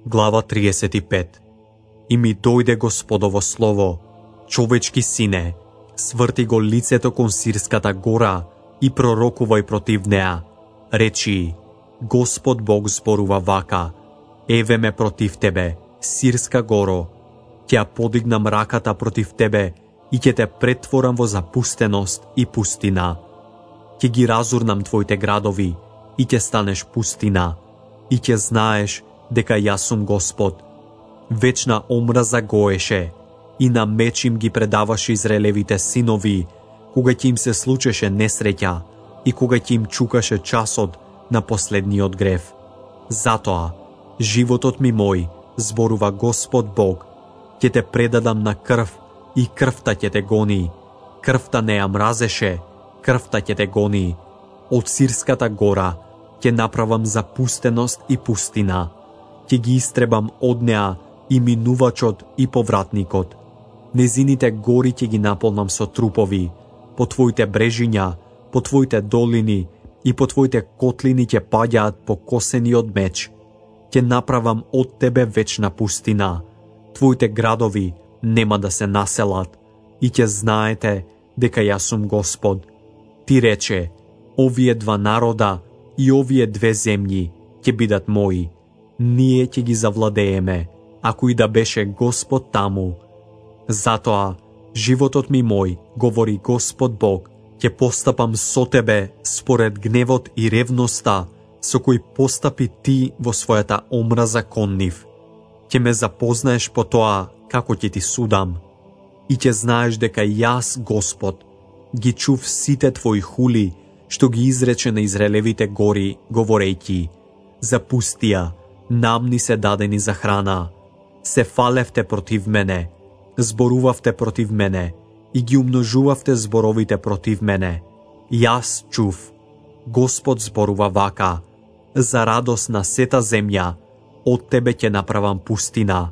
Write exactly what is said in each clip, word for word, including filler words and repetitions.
Глава триесет и пет. И ми дојде Господово слово: човечки сине, сврти го лицето кон Сирската гора и пророкувај против неа. Речи: Господ Бог зборува вака: еве ме против тебе, Сирска горо, ќе ја подигнам раката против тебе и ќе те претворам во запустеност и пустина. Ќе ги разурнам твоите градови и ќе станеш пустина, и ќе знаеш дека јас сум Господ. Вечна омраза гоеше и на меч им ги предаваше Израелевите синови, кога ќе им се случеше несреќа и кога ќе им чукаше часот на последниот грев. Затоа, животот ми мој, зборува Господ Бог, ќе те предадам на крв и крвта ќе те гони. Крвта не ја мразеше, крвта ќе те гони. Од Сирската гора ќе направам запустеност и пустина. Ќе ги истребам од неа и минувачот и повратникот. Незините гори ќе ги наполнам со трупови. По твоите брежиња, по твоите долини и по твоите котлини ќе паѓаат покосени од меч. Ќе направам од тебе вечна пустина. Твоите градови нема да се населат и ќе знаете дека јас сум Господ. Ти рече: овие два народа и овие две земји ќе бидат мои. Ние ќе ги завладееме, ако и да беше Господ таму. Затоа, животот ми мој, говори Господ Бог, ќе постапам со тебе според гневот и ревноста со кој постапи ти во својата омраза кон нив. Ќе ме запознаеш по тоа како ќе ти судам и ќе знаеш дека јас, Господ, ги чув сите твои хули што ги изрече на Израелевите гори, говорејќи: запустија, нам ни се дадени за храна. Се фалевте против мене, зборувавте против мене и ги умножувавте зборовите против мене. Јас чув, Господ зборува вака: за радост на сета земја, од тебе ќе направам пустина,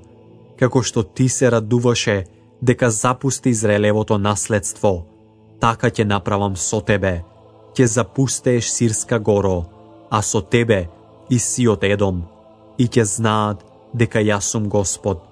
како што ти се радуваше дека запусти Израелевото наследство, така ќе направам со тебе. Ќе запустееш Сирска горо, а со тебе и сиот Едом, и ќе знаат дека јас сум Господ.